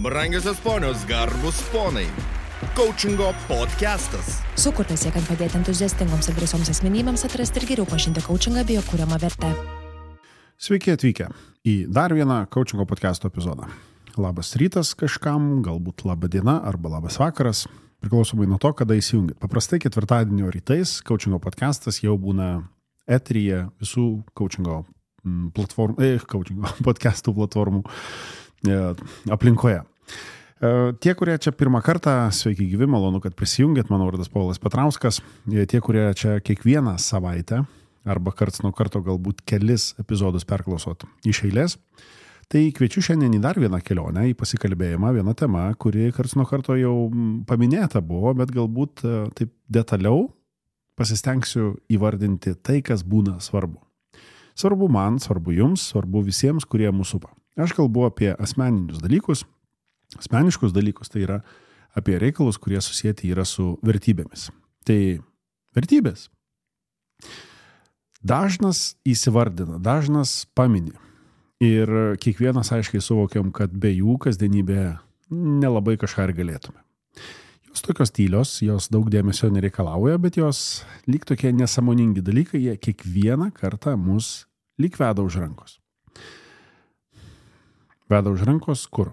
Brangiosios ponios, garbus ponai. Coachingo podcastas. Sukurtas siekiant padėti entuziastingoms ir drąsioms asmenybėms atrasti ir geriau pažinti coachingą bei jo kuriamą vertę. Sveiki atvykę į dar vieną coachingo podcasto epizodą. Labas rytas kažkam, galbūt laba diena arba labas vakaras, priklausomai nuo to, kada įsijungit. Paprastai ketvirtadienio rytais coachingo podcastas jau būna eteryje visų coachingo podcastų platformų aplinkoje. Tie, kurie čia pirmą kartą, sveiki gyvi, malonu, kad prisijungėt, mano vardas Povilas Petrauskas. Tie, kurie čia kiekvieną savaitę arba karts nuo karto galbūt kelis epizodus perklausot iš eilės, tai kviečiu šiandien į dar vieną kelionę, į pasikalbėjimą, vieną temą, kuri karts nuo karto jau paminėta buvo, bet galbūt taip detaliau pasistengsiu įvardinti tai, kas būna svarbu. Svarbu man, svarbu jums, svarbu visiems, kurie mūsų supa. Aš kalbu apie asmeninius dalykus, asmeniškus dalykus, tai yra apie reikalus, kurie susijęti yra su vertybėmis. Tai vertybės. Dažnas įsivardina, dažnas pamini. Ir kiekvienas aiškiai suvokiam, kad be jų kasdienybėje nelabai kažką ir galėtume. Jos tokios tylios, jos daug dėmesio nereikalauja, bet jos lyg tokie nesąmoningi dalykai, jie kiekvieną kartą mus lyg veda už rankos. Veda už rankos kur?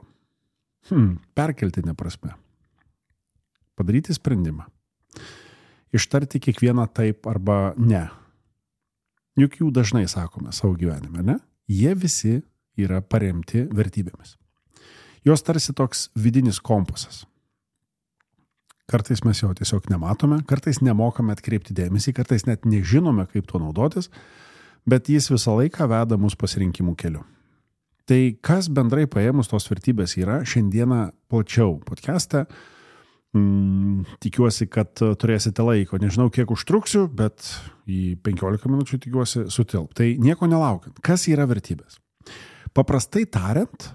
Perkeltinė prasme. Padaryti sprendimą. Ištarti kiekvieną taip arba ne. Juk jų dažnai sakome savo gyvenime, ne? Jie visi yra paremti vertybėmis. Jos tarsi toks vidinis kompasas. Kartais mes jo tiesiog nematome, kartais nemokame atkreipti dėmesį, kartais net nežinome, kaip tuo naudotis, bet jis visą laiką veda mus pasirinkimų keliu. Tai kas bendrai paėmus tos vertybės yra, šiandieną plačiau podcast'e. Tikiuosi, kad turėsite laiko. Nežinau, kiek užtruksiu, bet į 15 minučių tikiuosi sutilp. Tai nieko nelaukiant. Kas yra vertybės? Paprastai tariant,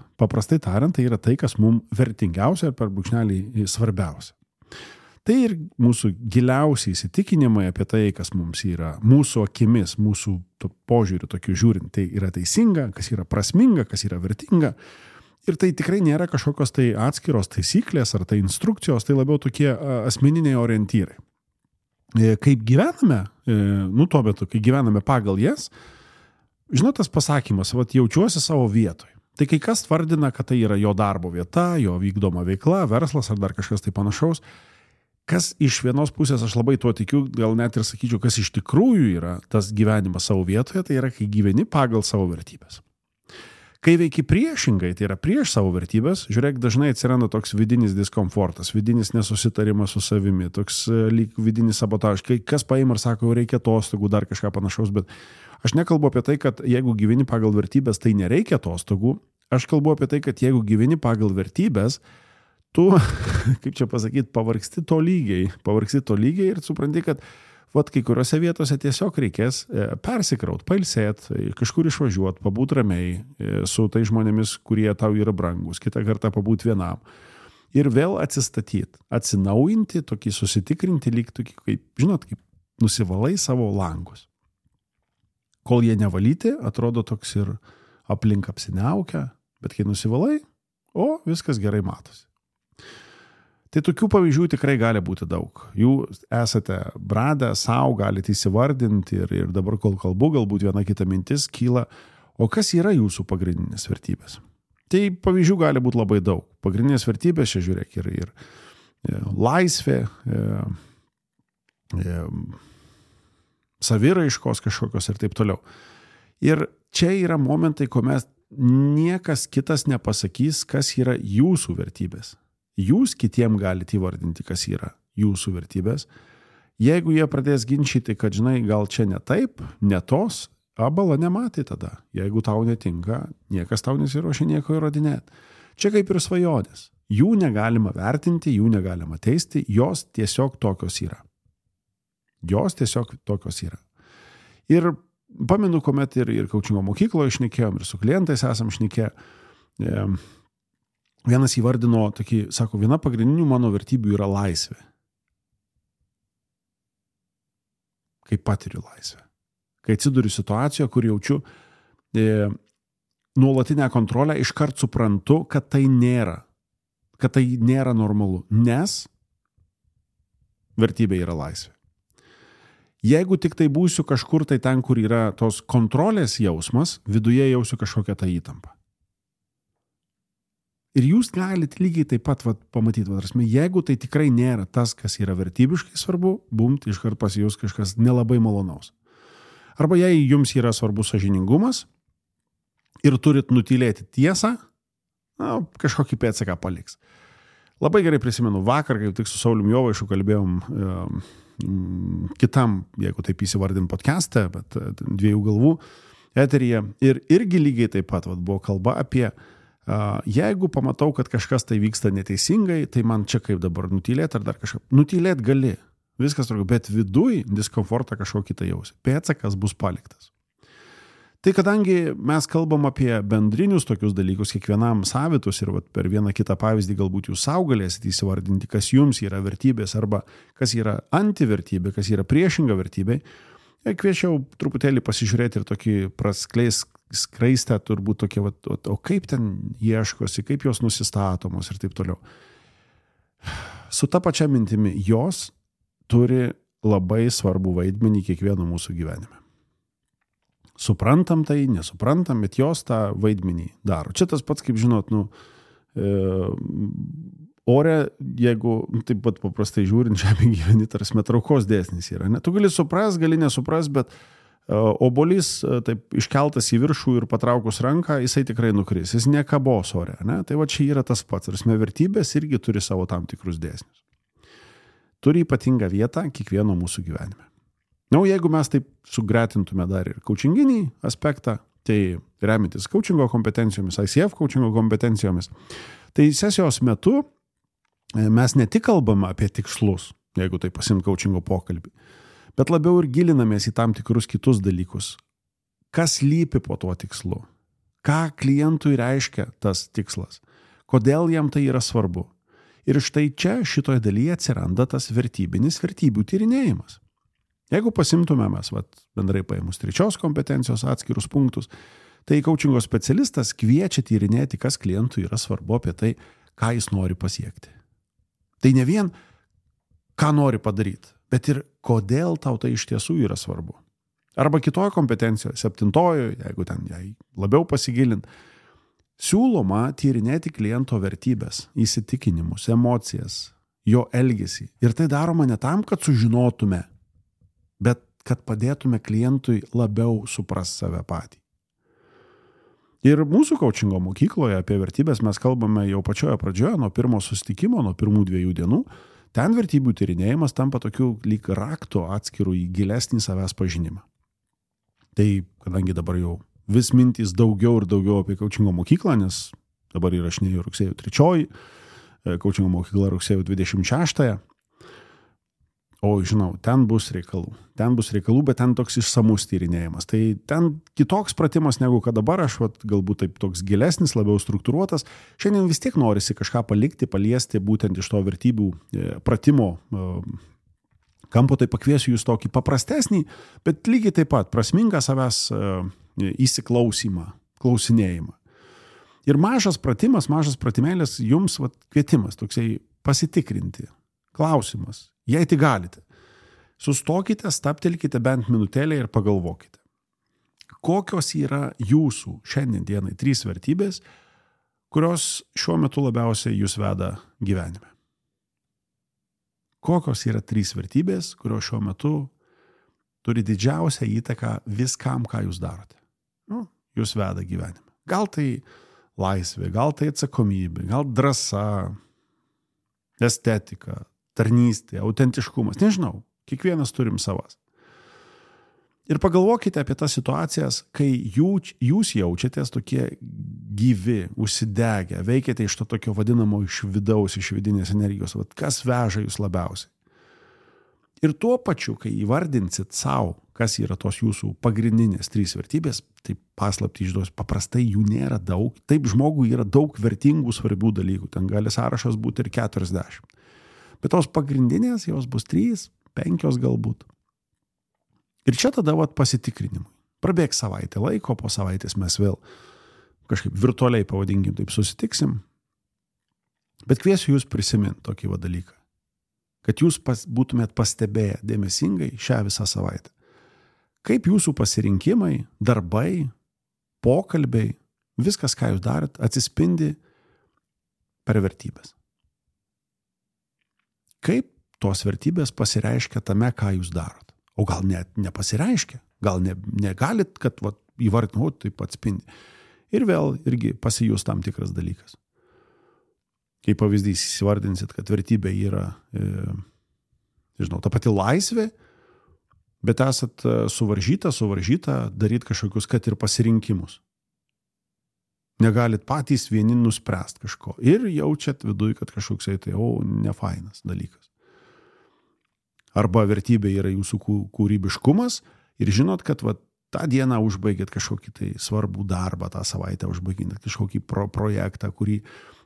tai yra tai, kas mums vertingiausia ir per brūkšnelį svarbiausia. Tai ir mūsų giliausiai įsitikinimai apie tai, kas mums yra mūsų akimis, mūsų požiūriu tokiu žiūrint, tai yra teisinga, kas yra prasminga, kas yra vertinga. Ir tai tikrai nėra kažkokios tai atskiros taisyklės ar tai instrukcijos, tai labiau tokie asmeniniai orientyrai. Kaip gyvename, tuo metu, kai gyvename pagal jas, žinot tas pasakymas, jaučiuosi savo vietoj. Tai kai kas vardina, kad tai yra jo darbo vieta, jo vykdoma veikla, verslas ar dar kažkas tai panašaus, kas iš vienos pusės aš labai tuo tikiu, gal net ir sakyčiau, kas iš tikrųjų yra tas gyvenimas savo vietoje, tai yra, kai gyveni pagal savo vertybės. Kai veiki priešingai, tai yra prieš savo vertybės, žiūrėk, dažnai atsiranda toks vidinis diskomfortas, vidinis nesusitarimas su savimi, toks lyg vidinis sabotažas, kai kas paima ir sako, reikia atostogų, dar kažką panašaus, bet aš nekalbu apie tai, kad jeigu gyveni pagal vertybės, tai nereikia atostogų, aš kalbu apie tai, kad jeigu gyveni pagal vertybės, tu, kaip čia pasakyti, pavargsti to lygiai ir supranti, kad kai kuriuose vietose tiesiog reikės persikraut, pailsėti, kažkur išvažiuoti, pabūt ramiai su tai žmonėmis, kurie tau yra brangus, kitą kartą pabūt vienam. Ir vėl atsistatyti, atsinaujinti, tokį susitikrinti, lyg tokį, kaip nusivalai savo langus. Kol jie nevalyti, atrodo toks ir aplink apsiniaukia, bet kai nusivalai, viskas gerai matosi. Tai tokių pavyzdžių tikrai gali būti daug. Jūs esate bradę, savo galite įsivardinti ir dabar, kol kalbu, galbūt viena kita mintis kyla, o kas yra jūsų pagrindinės vertybės? Tai pavyzdžių gali būti labai daug. Pagrindinės vertybės, čia žiūrėk, ir laisvė, saviraiškos kažkokios ir taip toliau. Ir čia yra momentai, kuomet niekas kitas nepasakys, kas yra jūsų vertybės. Jūs kitiem galite įvardinti, kas yra jūsų vertybės. Jeigu jie pradės ginčyti, kad, žinai, gal čia ne taip, ne tos, bala nematė tada. Jeigu tau netinka, niekas tau nesiruošia nieko įrodinėti. Čia kaip ir svajonės. Jų negalima vertinti, jų negalima teisti, jos tiesiog tokios yra. Ir pamenu, kuomet ir coachingo mokykloje šnekėjom, ir su klientais esam šnekėję, vienas įvardino tokį, sako, viena pagrindinių mano vertybių yra laisvė. Kai patiriu laisvę. Kai atsiduriu situacijoje, kur jaučiu nuolatinę kontrolę, iškart suprantu, kad tai nėra kad tai nėra normalu, nes vertybė yra laisvė. Jeigu tik tai būsiu kažkur tai ten, kur yra tos kontrolės jausmas, viduje jausiu kažkokią tą įtampą. Ir jūs galite lygiai taip pat pamatyti, jeigu tai tikrai nėra tas, kas yra vertybiškai svarbu, bumt, iškart pasijus kažkas nelabai malonaus. Arba jei jums yra svarbus sąžiningumas ir turit nutylėti tiesą, kažkokį pėdsaką paliks. Labai gerai prisimenu, vakar, kaip tik su Saulium Jovaišu kalbėjom kitam, jeigu taip įsivardim podcast'e, bet dviejų galvų eteryje. Ir irgi lygiai taip pat buvo kalba apie jeigu pamatau, kad kažkas tai vyksta neteisingai, tai man čia kaip dabar nutylėti ar dar kažką. Nutylėti gali, viskas turiu, bet viduj diskomfortą kažkokį tai jausi. Pėdsakas bus paliktas. Tai kadangi mes kalbam apie bendrinius tokius dalykus, kiekvienam savitus ir per vieną kitą pavyzdį galbūt jūs sau galėsite įsivardinti, kas jums yra vertybės arba kas yra antivertybė, kas yra priešinga vertybė, kviečiau truputėlį pasižiūrėti ir tokį skraistę, turbūt tokie, o kaip ten ieškosi, kaip jos nusistatomos ir taip toliau. Su ta pačia mintimi, jos turi labai svarbų vaidmenį kiekvieno mūsų gyvenime. Suprantam tai, nesuprantam, bet jos tą vaidmenį daro. Čia tas pats, kaip žinot, ore, jeigu taip pat paprastai žiūrint, žemė gyveni, tarsi traukos dėsnis yra. Ne? Tu gali supras, gali nesupras, bet obolys taip iškeltas į viršų ir patraukus ranką, jisai tikrai nukris, jis nekabos ore. Ne? Tai va čia yra tas pats. Tarsi vertybės irgi turi savo tam tikrus dėsnius. Turi ypatingą vietą kiekvieno mūsų gyvenime. Jeigu mes taip sugretintume dar ir coachinginį aspektą, tai remintis coachingo kompetencijomis, ICF coachingo kompetencijomis, tai sesijos metu mes ne tik kalbame apie tikslus, jeigu tai pasimt coachingo pokalbį, bet labiau ir gilinamės į tam tikrus kitus dalykus. Kas lypi po tuo tikslu? Ką klientui reiškia tas tikslas? Kodėl jam tai yra svarbu? Ir štai čia šitoje dalyje atsiranda tas vertybinis vertybių tyrinėjimas. Jeigu pasimtume mes bendrai paėmus trečios kompetencijos atskirus punktus, tai coachingo specialistas kviečia tyrinėti, kas klientui yra svarbu apie tai, ką jis nori pasiekti. Tai ne vien, ką nori padaryti, bet ir kodėl tau tai iš tiesų yra svarbu. Arba kitoje kompetencijoje, 7, jeigu ten jai labiau pasigilint, siūloma tyrinėti kliento vertybės, įsitikinimus, emocijas, jo elgesį. Ir tai daroma ne tam, kad sužinotume, bet kad padėtume klientui labiau suprast save patį. Ir mūsų coachingo mokykloje apie vertybės mes kalbame jau pačioje pradžioje, nuo pirmo susitikimo, nuo pirmų 2 dienų. Ten vertybių tyrinėjimas tampa tokiu lyg raktu atskirų į gilesnį savęs pažinimą. Tai kadangi dabar jau vis mintys daugiau ir daugiau apie coachingo mokyklą, nes dabar įrašinėjau rugsėjo 3, coachingo mokykla rugsėjo 26. O žinau, ten bus reikalų, bet ten toks išsamus tyrinėjimas. Tai ten kitoks pratimas negu kad dabar, aš galbūt taip toks gilesnis, labiau struktūruotas. Šiandien vis tiek norisi kažką palikti, paliesti būtent iš to vertybių pratimo kampo, tai pakviesiu jūs tokį paprastesnį, bet lygiai taip pat prasmingą savęs įsiklausimą, klausinėjimą. Ir mažas pratimas, mažas pratimėlis jums kvietimas, toksai pasitikrinti, klausimas. Jei tai galite, sustokite, stabtelkite bent minutėlę ir pagalvokite. Kokios yra jūsų šiandien dienai 3 vertybės, kurios šiuo metu labiausiai jūs veda gyvenime? Kokios yra 3 vertybės, kurios šiuo metu turi didžiausią įtaką viskam, ką jūs darote? Jūs veda gyvenime. Gal tai laisvė, gal tai atsakomybė, gal drąsa, estetika, tarnystė, autentiškumas, nežinau, kiekvienas turim savas. Ir pagalvokite apie tas situacijas, kai jūs jaučiatės tokie gyvi, užsidegę, veikiate iš to tokio vadinamo iš vidaus, iš vidinės energijos, kas veža jūs labiausiai. Ir tuo pačiu, kai įvardinsit savo, kas yra tos jūsų pagrindinės 3 vertybės, tai paslaptį išduosiu, paprastai jų nėra daug, taip žmogui yra daug vertingų svarbių dalykų, ten gali sąrašas būti ir 40. Bet tos pagrindinės, jos bus 3, 5 galbūt. Ir čia tada pasitikrinimui. Prabėgs savaitę laiko, po savaitės mes vėl kažkaip virtualiai pavadinkim, taip susitiksim. Bet kviesiu jūs prisiminti tokį dalyką, kad jūs būtumėt pastebėję dėmesingai šią visą savaitę. Kaip jūsų pasirinkimai, darbai, pokalbiai, viskas, ką jūs darot, atsispindi per vertybės. Kaip tos vertybės pasireiškia tame, ką jūs darot. O gal net nepasireiškia, gal negalit, kad įvardinau, taip atspindi. Ir vėl irgi pasijus tam tikras dalykas. Kaip pavyzdys įsivardinsit, kad vertybė yra, ta pati laisvė, bet esat suvaržyta daryti kažkokius, kad ir pasirinkimus. Negalit patys vieni nuspręsti kažko. Ir jaučiat viduj, kad kažkoks nefainas dalykas. Arba vertybė yra jūsų kūrybiškumas ir žinot, kad tą dieną užbaigėt kažkokį tai svarbų darbą, tą savaitę užbaigėt kažkokį projektą,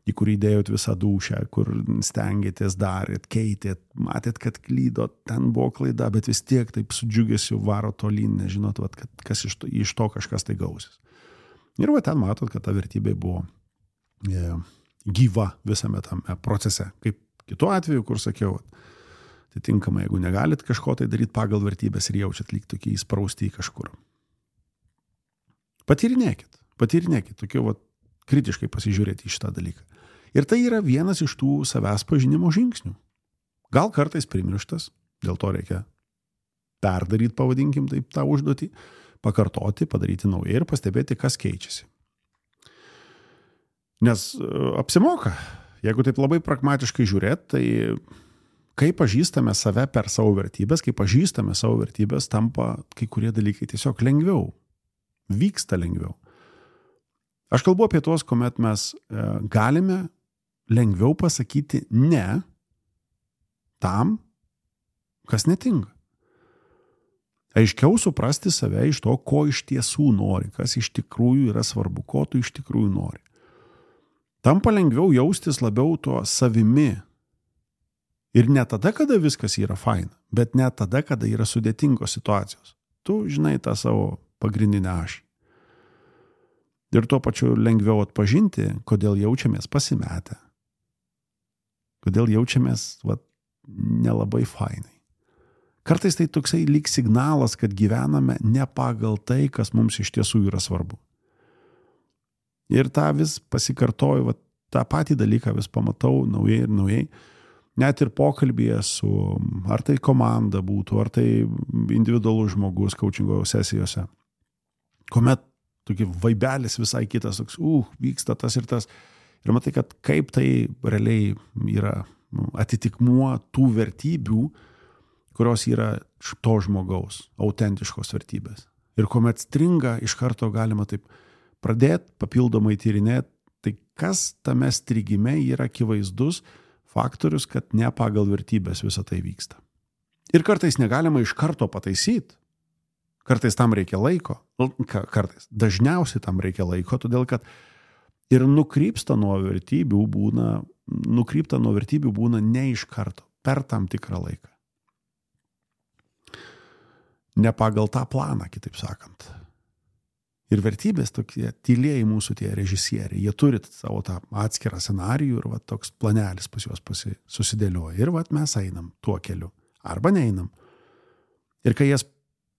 į kurį dėjot visą dūšią, kur stengiatės, darėt, keitėt, matėt, kad klydot, ten buvo klaida, bet vis tiek taip su džiugesiu varo tolyn, nežinot, kad kas iš to kažkas tai gausis. Ir ten matot, kad ta vertybė buvo gyva visame tame procese. Kaip kitu atveju, kur sakiau, atitinkamai, jeigu negalit kažko tai daryti pagal vertybės ir jaučiat lyg tokie įsprausti į kažkur. Patyrinėkit, tokiu kritiškai pasižiūrėti į šitą dalyką. Ir tai yra vienas iš tų savęs pažinimo žingsnių. Gal kartais primirštas, dėl to reikia perdaryti, pavadinkim taip, tą užduotį, pakartoti, padaryti naujai ir pastebėti, kas keičiasi. Nes apsimoka, jeigu taip labai pragmatiškai žiūrėt, tai kai pažįstame save per savo vertybės, tampa kai kurie dalykai tiesiog lengviau, vyksta lengviau. Aš kalbu apie tuos, kuomet mes galime lengviau pasakyti ne tam, kas netinka. Aiškiau suprasti save iš to, ko iš tiesų nori, kas iš tikrųjų yra svarbu, ko tu iš tikrųjų nori. Tampa lengviau jaustis labiau tuo savimi. Ir ne tada, kada viskas yra faina, bet ne tada, kada yra sudėtingos situacijos. Tu žinai tą savo pagrindinę ašį. Ir tuo pačiu lengviau atpažinti, kodėl jaučiamės pasimetę. Kodėl jaučiamės nelabai fainai. Kartais tai toksai lyg signalas, kad gyvename ne pagal tai, kas mums iš tiesų yra svarbu. Ir tą vis pasikartoju, tą patį dalyką vis pamatau naujai ir naujai. Net ir pokalbyje su, ar tai komanda būtų, ar tai individualus žmogus coachingo sesijose. Kuomet tokie vaibelis visai kitas, toks, vyksta tas ir tas. Ir matai, kad kaip tai realiai yra atitikmuo tų vertybių, kurios yra to žmogaus, autentiškos vertybės. Ir kuomet stringa, iš karto galima taip pradėti, papildomai tyrinėti, tai kas tame strigime yra akivaizdus faktorius, kad ne pagal vertybės visą tai vyksta. Ir kartais negalima iš karto pataisyti. Kartais tam reikia laiko. Dažniausiai tam reikia laiko, todėl kad ir nukrypta nuo vertybių būna ne iš karto, per tam tikrą laiką. Ne pagal tą planą, kitaip sakant. Ir vertybės tokie tylieji mūsų tie režisieriai, jie turi savo tą atskirą scenarijų ir toks planelis pas juos susidėlioja. Ir mes einam tuo keliu. Arba neinam. Ir kai jas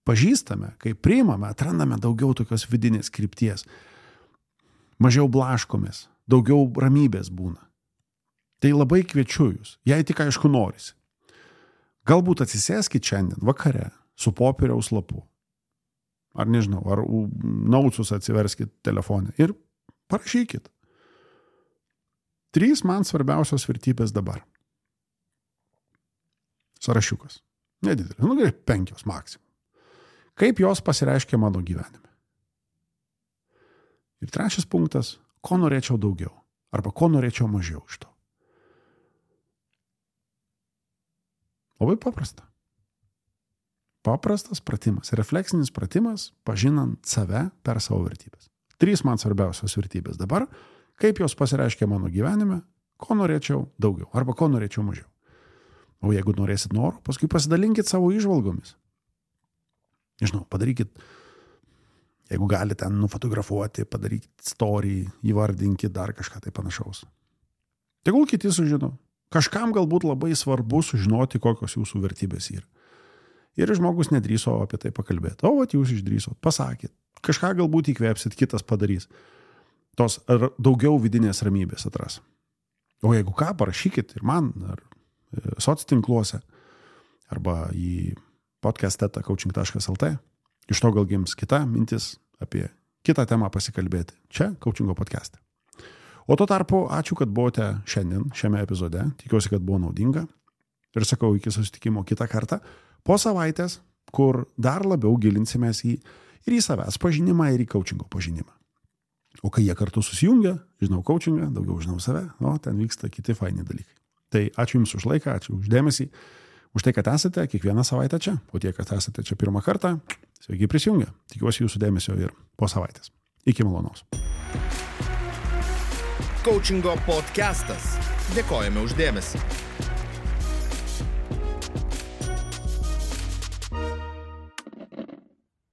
pažįstame, kai priimame, atrandame daugiau tokios vidinės krypties. Mažiau blaškomės, daugiau ramybės būna. Tai labai kviečiu jūs, jei tik aišku norisi. Galbūt atsisėskit šiandien vakare su popieriaus lapu. Ar nežinau, ar naucus atsiverskit telefonę ir parašykit. 3 man svarbiausios vertybės dabar. Sąrašiukas. Nedidelis, 5 maksimum. Kaip jos pasireiškia mano gyvenime. Ir 3 punktas, ko norėčiau daugiau, arba ko norėčiau mažiau iš to. Labai paprasta. Paprastas pratimas, refleksinis pratimas, pažinant save per savo vertybės. 3 man svarbiausios vertybės dabar, kaip jos pasireiškia mano gyvenime, ko norėčiau daugiau, arba ko norėčiau mažiau. O jeigu norėsit noro, paskui pasidalinkit savo įžvalgomis. Nežinau, padarykit, jeigu galite nufotografuoti, padarykit story, įvardinkit dar kažką tai panašaus. Tegul kiti sužino. Kažkam galbūt labai svarbu sužinoti, kokios jūsų vertybės yra. Ir žmogus nedrįso apie tai pakalbėti. O, vat jūs išdrįsot, pasakėt. Kažką galbūt įkvėpsit, kitas padarys. Tos daugiau vidinės ramybės atras. O jeigu ką, parašykit ir man, ar soctinkluose, arba į podcast.coaching.lt. Iš to gal gims kita mintis apie kitą temą pasikalbėti. Čia Coachingo podcast'e. O tuo tarpu, ačiū, kad buvote šiandien šiame epizode. Tikiuosi, kad buvo naudinga. Ir sakau, iki susitikimo kitą kartą. Po savaitės, kur dar labiau gilinsimės ir į savęs pažinimą, ir į coachingo pažinimą. O kai jie kartu susijungia, žinau coachingą, daugiau žinau save, ten vyksta kiti faini dalykai. Tai ačiū Jums už laiką, ačiū už dėmesį, už tai, kad esate kiekvieną savaitę čia. O tie, kad esate čia pirmą kartą, sveiki prisijungę. Tikiuosi Jūsų dėmesio ir po savaitės. Iki malonaus. Coachingo podcastas. Dėkojame už dėmesį.